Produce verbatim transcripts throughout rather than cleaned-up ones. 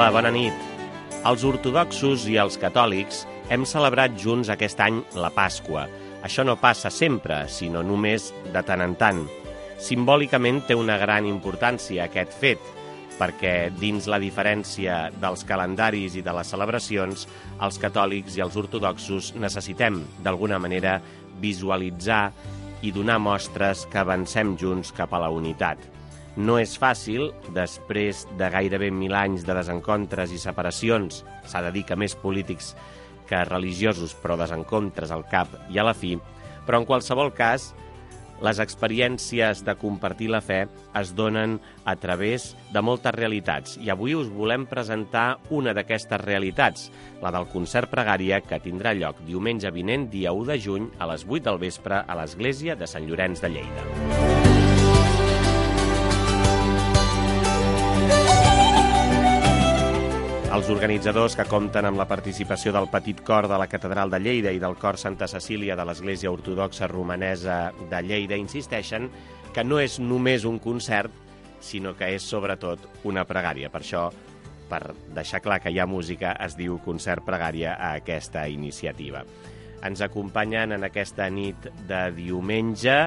Hola, bona nit. Els ortodoxos i els catòlics hem celebrat junts aquest any la Pasqua. Això no passa sempre, sinó només de tant en tant. Simbòlicament té una gran importància aquest fet, perquè dins la diferència dels calendaris i de les celebracions, els catòlics i els ortodoxos necessitem, d'alguna manera, visualitzar i donar mostres que avancem junts cap a la unitat. No és fàcil, després de gairebé mil anys de desencontres i separacions, s'ha de dir que més polítics que religiosos, però desencontres al cap i a la fi, però en qualsevol cas, les experiències de compartir la fe es donen a través de moltes realitats i avui us volem presentar una d'aquestes realitats, la del concert pregària que tindrà lloc diumenge vinent, dia u de juny, a les vuit del vespre a l'església de Sant Llorenç de Lleida. Els organitzadors, que compten amb la participació del Petit Cor de la Catedral de Lleida i del Cor Santa Cecília de l'Església Ortodoxa Romanesa de Lleida, insisteixen que no és només un concert, sinó que és sobretot una pregària. Per això, per deixar clar que hi ha música, es diu concert pregària a aquesta iniciativa. Ens acompanyen en aquesta nit de diumenge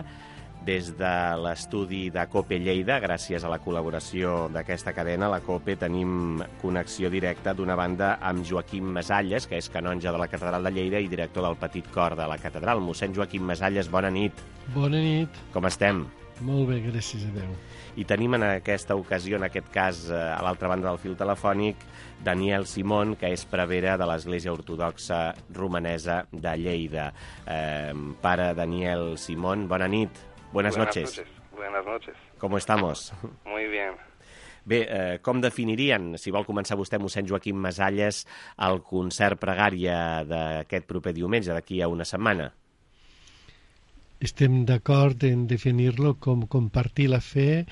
des de l'estudi de COPE Lleida, gràcies a la col·laboració d'aquesta cadena, la COPE, tenim connexió directa d'una banda amb Joaquim Masalles, que és canonge de la Catedral de Lleida i director del Petit Cor de la Catedral. Mossèn Joaquim Masalles, bona nit. Bona nit. Com estem? Molt bé, gràcies a Déu. I tenim en aquesta ocasió, en aquest cas, a l'altra banda del fil telefònic, Daniel Simón, que és prevere de l'Església Ortodoxa Romanesa de Lleida. Eh, pare Daniel Simón, bona nit. Buenas, Buenas noches. noches. Buenas noches. ¿Cómo estamos? Muy bien. Bé, eh, com definirien, si vol començar vostè, mossèn Joaquim Masalles, el concert pregària d'aquest proper diumenge, d'aquí a una setmana? Estem d'acord en definir-lo com compartir la fe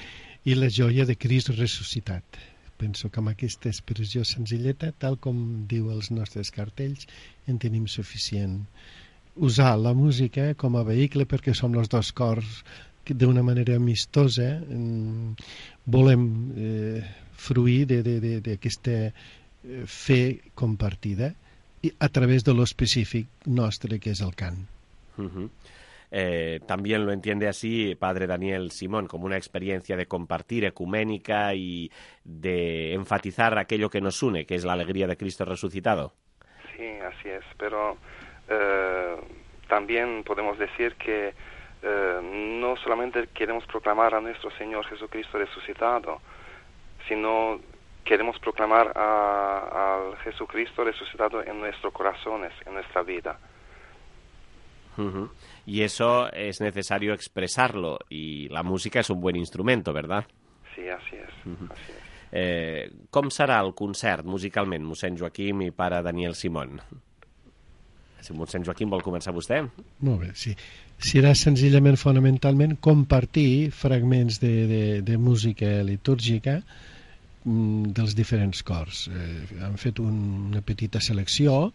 i la joia de Crist ressuscitat. Penso que amb aquesta expressió senzilleta, tal com diu els nostres cartells, en tenim suficient. Usar la música com a vehicle perquè som els dos cors que d'una manera amistosa volem eh, fruir d'aquesta fe compartida i a través de lo específic nostre que és el cant. Uh-huh. Eh, también lo entiende así, padre Daniel Simón, como una experiencia de compartir ecuménica y de enfatizar aquello que nos une, que es la alegría de Cristo resucitado. Sí, así es, pero Eh, también podemos decir que eh, no solamente queremos proclamar a nuestro Señor Jesucristo resucitado, sino queremos proclamar al Jesucristo resucitado en nuestros corazones, en nuestra vida. Uh-huh. Y eso es necesario expresarlo, y la música es un buen instrumento, ¿verdad? Sí, así es. Uh-huh. Así es. Eh, com serà el concert musicalment, mossèn Joaquim i pare Daniel Simón? Si mossèn Joaquim vol començar vostè. Molt bé, sí. Serà senzillament, fonamentalment, compartir fragments de, de, de música litúrgica mm, dels diferents cors. Eh, han fet un, una petita selecció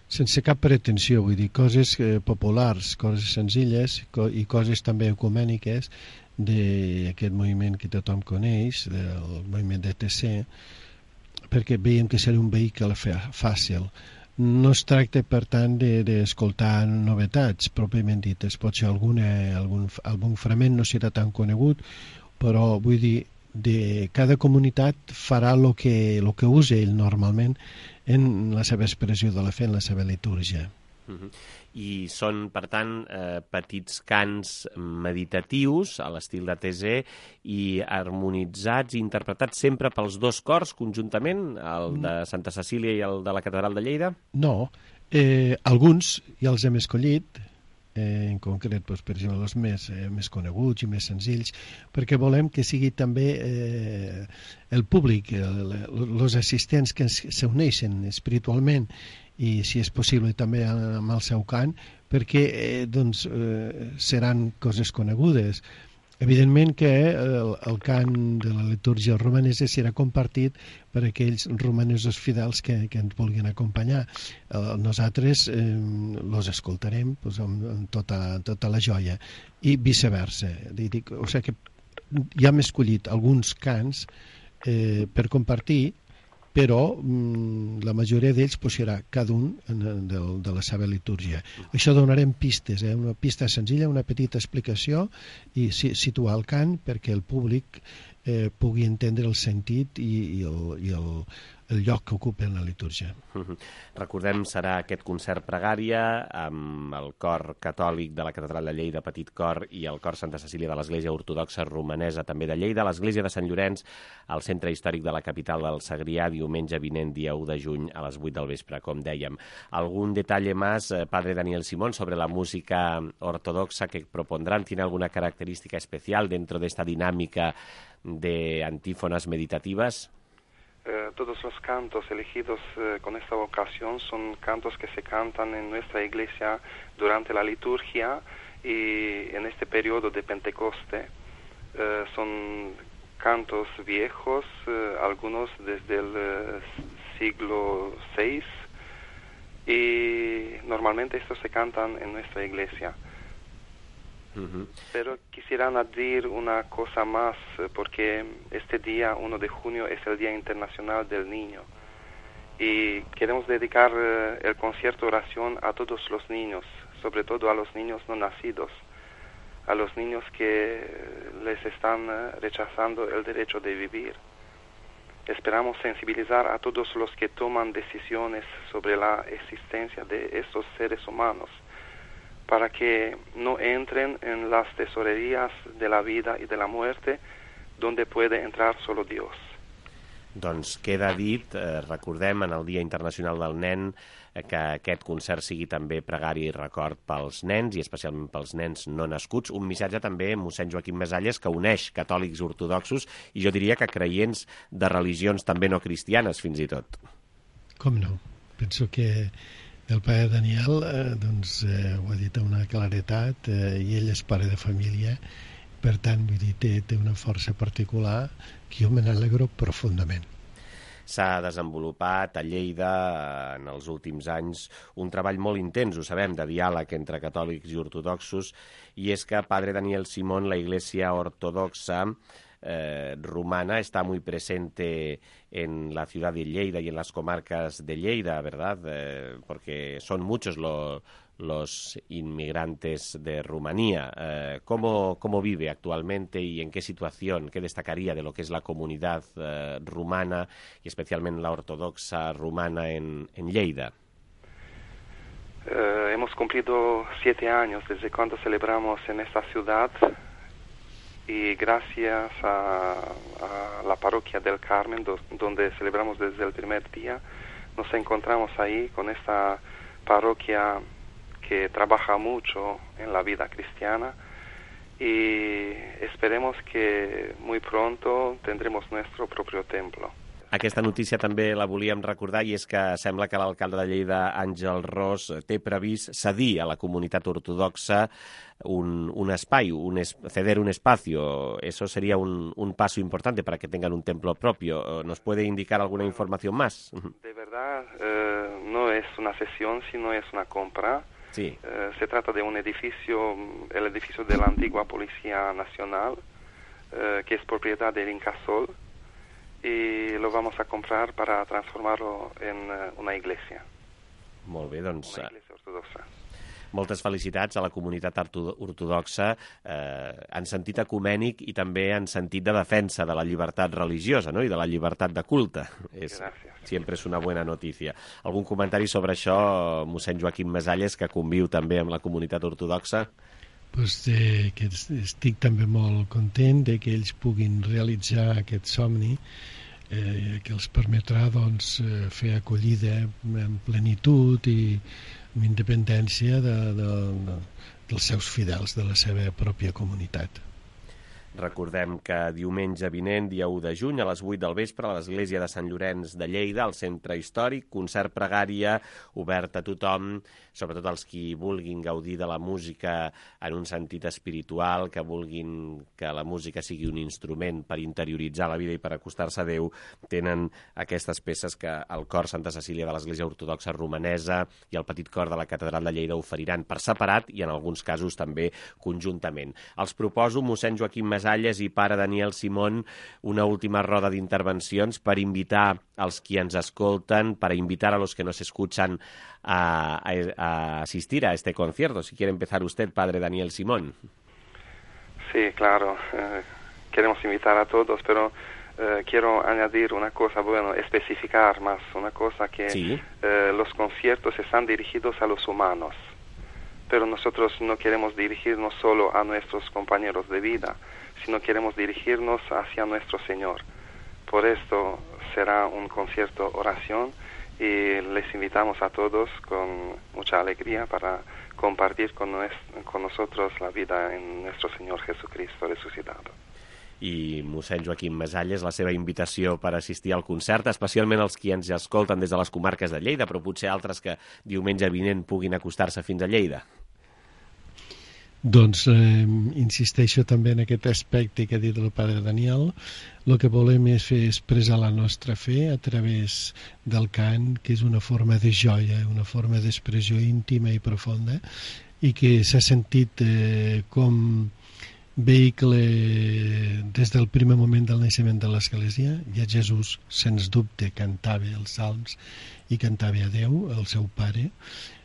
sense cap pretensió, vull dir, coses eh, populars, coses senzilles co i coses també ecumèniques d'aquest moviment que tothom coneix, del moviment de T C, perquè veiem que serà un vehicle fàcil. No es tracta, per tant, d'escoltar de, novetats, pròpiament dites. Pot ser alguna, algun, algun fragment no serà tan conegut, però vull dir, de cada comunitat farà el que, lo que usa ell normalment en la seva expressió de la fe, en la seva litúrgia. Uh-huh. I són, per tant, eh, petits cants meditatius a l'estil de T Z i harmonitzats i interpretats sempre pels dos cors conjuntament, el de Santa Cecília i el de la Catedral de Lleida? No, eh, alguns ja els hem escollit, eh, en concret, doncs, per exemple, els més, eh, més coneguts i més senzills, perquè volem que sigui també eh, el públic, els assistents que s'uneixen espiritualment i, si és possible, també amb el seu cant, perquè eh, doncs, eh, seran coses conegudes. Evidentment que el, el cant de la litúrgia romanesa serà compartit per aquells romanesos fidels que, que ens vulguin acompanyar. Eh, nosaltres eh, los escoltarem pues, amb, amb tota, tota la joia i viceversa. Dic, o sigui que ja hem escollit alguns cants eh, per compartir, però mm, la majoria d'ells pues, serà cada un en, de, de la seva litúrgia. Això donarem pistes, eh? Una pista senzilla, una petita explicació i si, situar el cant perquè el públic eh, pugui entendre el sentit i, i, el, i el, el lloc que ocupa en la litúrgia. Uh-huh. Recordem, serà aquest concert pregària amb el cor catòlic de la Catedral de Lleida, Petit Cor, i el cor Santa Cecília de l'Església Ortodoxa Romanesa, també de Lleida, l'Església de Sant Llorenç, al centre històric de la capital del Segrià, diumenge vinent, dia u de juny, a les vuit del vespre, com dèiem. ¿Algún detalle más, eh, Padre Daniel Simón, sobre la música ortodoxa que propondrán? ¿Tiene alguna característica especial dentro de esta dinámica de antífonas meditativas? Eh, todos los cantos elegidos eh, con esta vocación son cantos que se cantan en nuestra iglesia durante la liturgia y en este periodo de Pentecoste. Eh, son cantos viejos, eh, algunos desde el eh, siglo seis, y normalmente estos se cantan en nuestra iglesia. Uh-huh. Pero quisiera añadir una cosa más, porque este día, uno de junio, es el Día Internacional del Niño. Y queremos dedicar eh, el concierto oración a todos los niños, sobre todo a los niños no nacidos, a los niños que les están eh, rechazando el derecho de vivir. Esperamos sensibilizar a todos los que toman decisiones sobre la existencia de estos seres humanos, para que no entren en las tesorerías de la vida y de la muerte, donde puede entrar solo Dios. Doncs queda dit, eh, recordem en el Dia Internacional del Nen, eh, que aquest concert sigui també pregària i record pels nens, i especialment pels nens no nascuts. Un missatge també, mossèn Joaquim Mesalles, que uneix catòlics ortodoxos i jo diria que creients de religions també no cristianes, fins i tot. Com no? Penso que el pare Daniel eh, doncs, eh, ho ha dit amb una claretat, eh, i ell és pare de família, per tant, vull dir, té, té una força particular que jo me n'alegro profundament. S'ha desenvolupat a Lleida en els últims anys un treball molt intens, ho sabem, de diàleg entre catòlics i ortodoxos, i és que, Padre Daniel Simón, la Iglesia Ortodoxa Eh, rumana está muy presente en la ciudad de Lleida y en las comarcas de Lleida, ¿verdad? Eh, porque son muchos lo, los inmigrantes de Rumanía. Eh, ¿cómo, ¿Cómo vive actualmente y en qué situación, qué destacaría de lo que es la comunidad eh, rumana y especialmente la ortodoxa rumana en, en Lleida? Eh, hemos cumplido siete años desde cuando celebramos en esta ciudad, y gracias a, a la parroquia del Carmen, do, donde celebramos desde el primer día, nos encontramos ahí con esta parroquia que trabaja mucho en la vida cristiana, y esperemos que muy pronto tendremos nuestro propio templo. Aquesta notícia també la volíem recordar, i és que sembla que l'alcalde de Lleida, Àngel Ros, té previst cedir a la comunitat ortodoxa un, un espai, un es, ceder un espacio. Eso sería un, un paso importante para que tengan un templo propio. ¿Nos puede indicar alguna información más? De verdad, eh, no es una cesión, sino es una compra. Sí. Eh, se trata de un edificio, el edificio de la antigua Policía Nacional, eh, que es propiedad del Incasol, y lo vamos a comprar para transformarlo en uh, una iglesia. Molt bé, doncs... Una iglesia ortodoxa. Moltes felicitats a la comunitat ortodoxa eh, en sentit ecumènic i també en sentit de defensa de la llibertat religiosa, ¿no? I de la llibertat de culte. És, sempre és una bona notícia. Algun comentari sobre això, mossèn Joaquim Mesalles, que conviu també amb la comunitat ortodoxa? Pues, eh, que estic també molt content de que ells puguin realitzar aquest somni, eh, que els permetrà doncs, fer acollida en plenitud i amb independència de, de, de, dels seus fidels, de la seva pròpia comunitat. Recordem que diumenge vinent, dia u de juny, a les vuit del vespre, a l'Església de Sant Llorenç de Lleida, al centre històric, concert pregària obert a tothom, sobretot els qui vulguin gaudir de la música en un sentit espiritual, que vulguin que la música sigui un instrument per interioritzar la vida i per acostar-se a Déu, tenen aquestes peces que el cor Santa Cecília de l'Església Ortodoxa Romanesa i el petit cor de la Catedral de Lleida oferiran per separat i en alguns casos també conjuntament. Els proposo, mossèn Joaquim Mesalles, Mesalles i pare Daniel Simón, una última roda d'intervencions per invitar als qui ens escolten, para invitar a los que nos escuchan a, a, a asistir a este concierto. Si quiere empezar usted, padre Daniel Simón. Sí, claro. Eh, queremos invitar a todos, pero eh, quiero añadir una cosa, bueno, especificar más una cosa, que sí. eh, los conciertos están dirigidos a los humanos, pero nosotros no queremos dirigirnos solo a nuestros compañeros de vida, sino queremos dirigirnos hacia nuestro Señor. Por esto será un concierto oración y les invitamos a todos con mucha alegría para compartir con, nuestro, con nosotros la vida en nuestro Señor Jesucristo resucitado. I mossèn Joaquim Mesalles, la seva invitació per assistir al concert, especialment els qui ens escolten des de les comarques de Lleida, però potser altres que diumenge vinent puguin acostar-se fins a Lleida. Doncs eh, insisteixo també en aquest aspecte que ha dit el pare Daniel. El que volem és fer expressar la nostra fe a través del cant, que és una forma de joia, una forma d'expressió íntima i profunda, i que s'ha sentit eh, com vehicle des del primer moment del naixement de l'Església. Ja Jesús, sens dubte, cantava els salms i cantava a Déu, el seu pare,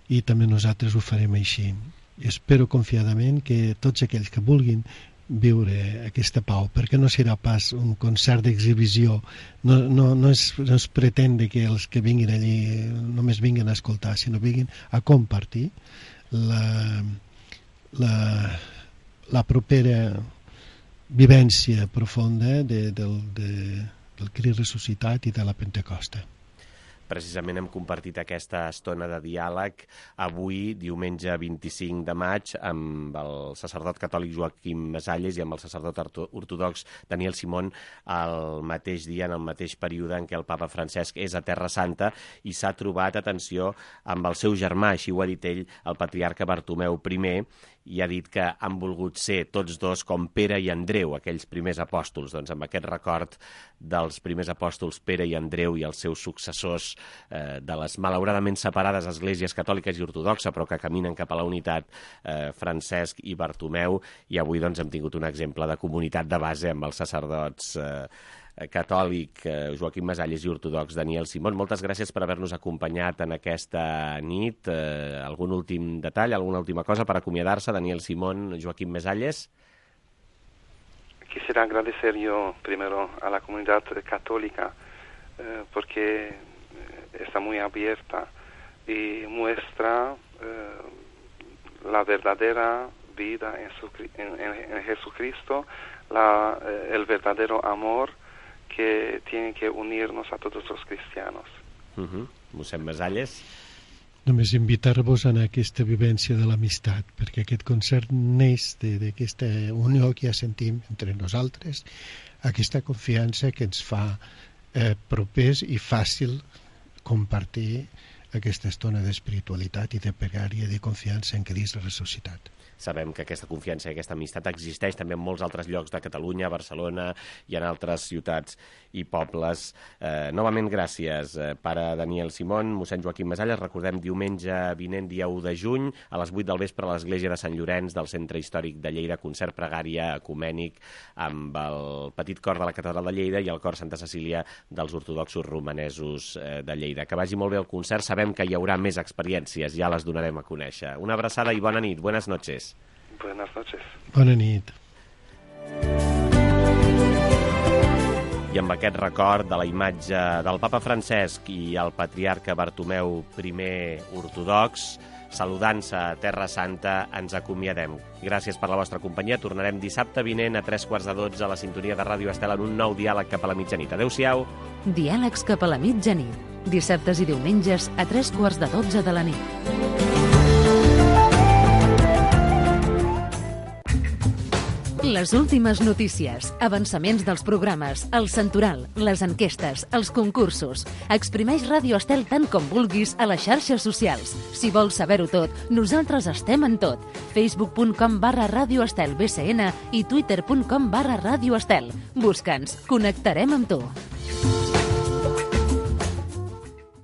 i també nosaltres ho farem així. I espero confiadament que tots aquells que vulguin viure aquesta pau, perquè no serà pas un concert d'exhibició, no, no, no, es, no es pretén que els que vinguin allí només vinguin a escoltar, sinó vinguin a compartir la, la, la propera vivència profunda de, del, de, del Crist ressuscitat i de la Pentecosta. Precisament hem compartit aquesta estona de diàleg avui, diumenge vint-i-cinc de maig, amb el sacerdot catòlic Joaquim Mesalles i amb el sacerdot ortodox Daniel Simón, al mateix dia, en el mateix període en què el papa Francesc és a Terra Santa i s'ha trobat, atenció, amb el seu germà, així ho ha dit ell, el patriarca Bartomeu primer, i ha dit que han volgut ser tots dos com Pere i Andreu, aquells primers apòstols. Doncs amb aquest record dels primers apòstols Pere i Andreu i els seus successors eh, de les malauradament separades esglésies catòliques i ortodoxa, però que caminen cap a la unitat, eh, Francesc i Bartomeu, i avui doncs hem tingut un exemple de comunitat de base amb els sacerdots eh, catòlic eh, Joaquim Mesalles i ortodox Daniel Simón. Moltes gràcies per haver-nos acompanyat en aquesta nit. Eh, algun últim detall, alguna última cosa per acomiadar-se, Daniel Simón, Joaquim Mesalles? Quisiera agradecer yo primero a la comunidad católica eh, porque está muy abierta y muestra eh, la verdadera vida en, su, en, en, en Jesucristo, la, eh, el verdadero amor que tiene que unirnos a todos los cristianos. Uh-huh. Mossèn Mesalles? Només invitar-vos a aquesta vivència de l'amistat, perquè aquest concert neix d'aquesta unió que ja sentim entre nosaltres, aquesta confiança que ens fa eh, propers i fàcil compartir aquesta estona d'espiritualitat i de pregària i de confiança en Crist ressuscitat. Sabem que aquesta confiança i aquesta amistat existeix també en molts altres llocs de Catalunya, Barcelona i en altres ciutats i pobles. Eh, novament, gràcies, eh, pare Daniel Simón, mossèn Joaquim Mesalles. Recordem, diumenge vinent, dia u de juny, a les vuit del vespre, a l'església de Sant Llorenç del Centre Històric de Lleida, concert pregària ecumènic amb el petit cor de la Catedral de Lleida i el cor Santa Cecília dels ortodoxos romanesos eh, de Lleida. Que vagi molt bé el concert. Sabem que hi haurà més experiències, ja les donarem a conèixer. Una abraçada i bona nit. Buenas noches. Buenas noches. Bona nit. I amb aquest record de la imatge del papa Francesc i el patriarca Bartomeu primer ortodox, saludant-se a Terra Santa, ens acomiadem. Gràcies per la vostra companyia. Tornarem dissabte vinent a tres quarts de dotze a la sintonia de Ràdio Estel en un nou diàleg cap a la mitjanit. Adéu-siau. Diàlegs cap a la mitjanit. Dissabtes i diumenges a tres quarts de dotze de la nit. Les últimes notícies, avançaments dels programes, el santoral, les enquestes, els concursos. Exprimeix Ràdio Estel tant com vulguis a les xarxes socials. Si vols saber-ho tot, nosaltres estem en tot. facebook punt com barra Ràdio Estel B C N i twitter punt com barra Ràdio Estel. Busca'ns, connectarem amb tu.